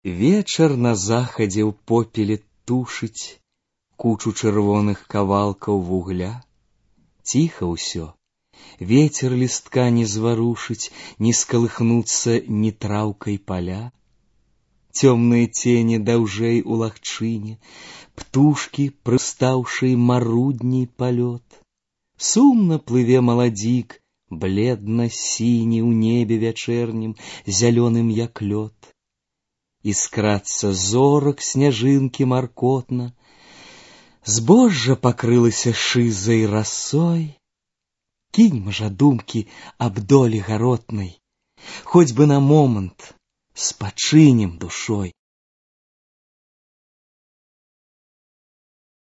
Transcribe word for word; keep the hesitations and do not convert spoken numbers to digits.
Вечар на захадзе ў попеле тушыць кучу чырвоных кавалкаў вугля. Ціха ўсё, ветер лістка не зварушыць, не скалыхнуцца ні траўкай паля. Цёмныя цені даўжэй у лагчыне, птушкі, прыстаўшы марудней палёт. Сумна плыве маладзік, бледна-сіні ў небе вячэрнім, зялёным як лёд. Искрацца зорак сняжынкі маркотна, збожжа пакрылася шызай расой. Кіньма жа думкі аб долі гаротнай, хоць бы на момант спачынем душой.